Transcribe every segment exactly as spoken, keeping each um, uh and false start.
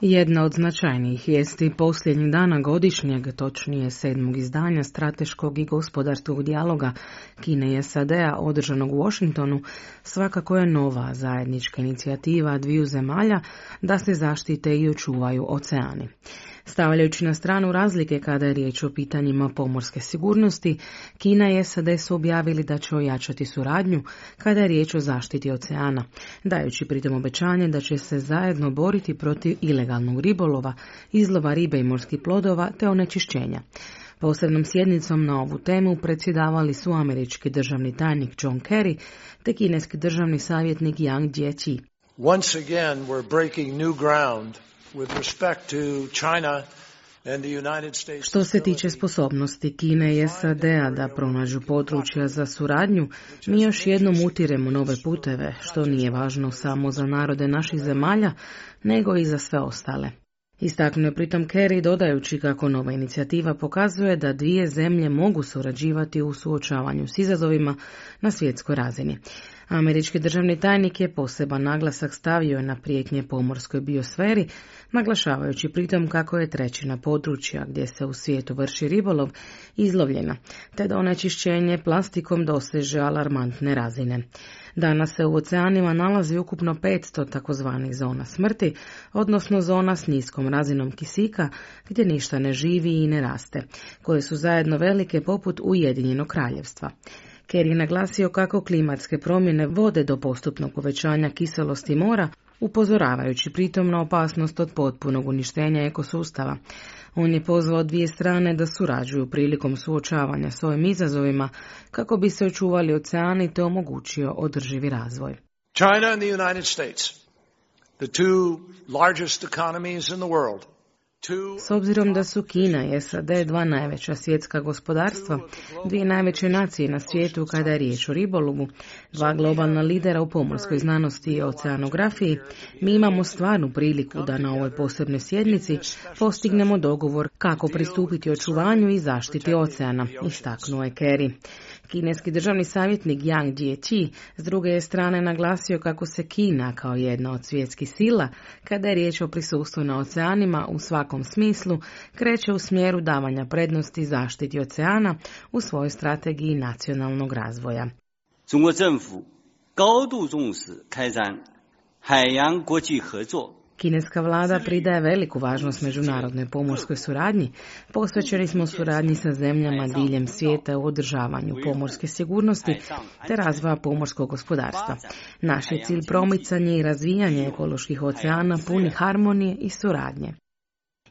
Jedna od značajnijih vijesti posljednjih dana godišnjeg, točnije sedmog izdanja strateškog i gospodarskog dijaloga Kine i S A D-a održanog u Washingtonu, svakako je nova zajednička inicijativa dviju zemalja da se zaštite i očuvaju oceani. Stavljajući na stranu razlike kada je riječ o pitanjima pomorske sigurnosti, Kina i S A D su objavili da će ojačati suradnju kada je riječ o zaštiti oceana, dajući pritom obećanje da će se zajedno boriti protiv ilegalnog ribolova, izlova ribe i morskih plodova te onečišćenja. Posebnom sjednicom na ovu temu predsjedavali su američki državni tajnik John Kerry te kineski državni savjetnik Yang Jiechi. Once again we're breaking new ground with respect to China and the United States. Što se tiče sposobnosti Kine i S A D-a da pronađu područja za suradnju, mi još jednom utiremo nove puteve, što nije važno samo za narode naših zemalja, nego i za sve ostale. Istaknuo je pritom Kerry dodajući kako nova inicijativa pokazuje da dvije zemlje mogu surađivati u suočavanju s izazovima na svjetskoj razini. Američki državni tajnik je poseban naglasak stavio na prijetnje pomorskoj biosferi, naglašavajući pritom kako je trećina područja gdje se u svijetu vrši ribolov izlovljena, te da onečišćenje plastikom doseže alarmantne razine. Danas se u oceanima nalazi ukupno petsto takozvanih zona smrti, odnosno zona s niskom razinom kisika gdje ništa ne živi i ne raste, koje su zajedno velike poput Ujedinjenog kraljevstva. Kerry je naglasio kako klimatske promjene vode do postupnog povećanja kiselosti mora, upozoravajući pritom na opasnost od potpunog uništenja ekosustava. On je pozvao dvije strane da surađuju prilikom suočavanja s ovim izazovima kako bi se očuvali oceani te omogućio održivi razvoj. China and the United States, the two largest economies in the world. S obzirom da su Kina i S A D dva najveća svjetska gospodarstva, dvije najveće nacije na svijetu kada je riječ o ribolovu, dva globalna lidera u pomorskoj znanosti i oceanografiji, mi imamo stvarnu priliku da na ovoj posebnoj sjednici postignemo dogovor kako pristupiti očuvanju i zaštiti oceana, istaknuo je Kerry. Kineski državni savjetnik Yang Jiechi s druge je strane naglasio kako se Kina kao jedna od svjetskih sila, kada je riječ o prisustvu na oceanima u svakom smislu, kreće u smjeru davanja prednosti zaštiti oceana u svojoj strategiji nacionalnog razvoja. 中国政府高度重视开展海洋国际合作。 Kineska vlada pridaje veliku važnost međunarodnoj pomorskoj suradnji. Posvećeni smo suradnji sa zemljama diljem svijeta u održavanju pomorske sigurnosti te razvoja pomorskog gospodarstva. Naš je cilj promicanje i razvijanje ekoloških oceana puni harmonije i suradnje.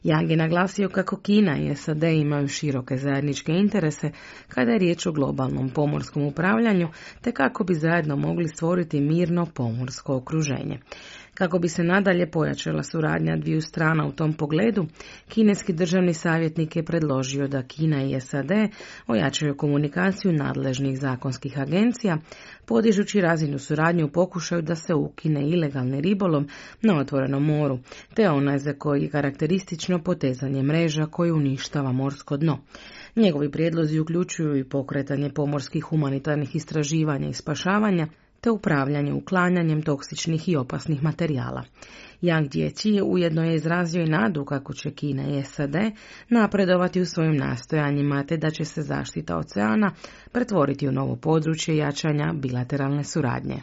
Yang je naglasio kako Kina i S A D imaju široke zajedničke interese kada je riječ o globalnom pomorskom upravljanju te kako bi zajedno mogli stvoriti mirno pomorsko okruženje. Kako bi se nadalje pojačala suradnja dviju strana u tom pogledu, kineski državni savjetnik je predložio da Kina i S A D ojačaju komunikaciju nadležnih zakonskih agencija, podižući razinu suradnje u pokušaju da se ukine ilegalni ribolov na otvorenom moru, te onaj za koji je karakteristično potezanje mreža koji uništava morsko dno. Njegovi prijedlozi uključuju i pokretanje pomorskih humanitarnih istraživanja i spašavanja, te upravljanje uklanjanjem toksičnih i opasnih materijala. Yang Jiechi ujedno je izrazio i nadu kako će Kina i S A D napredovati u svojim nastojanjima te da će se zaštita oceana pretvoriti u novo područje jačanja bilateralne suradnje.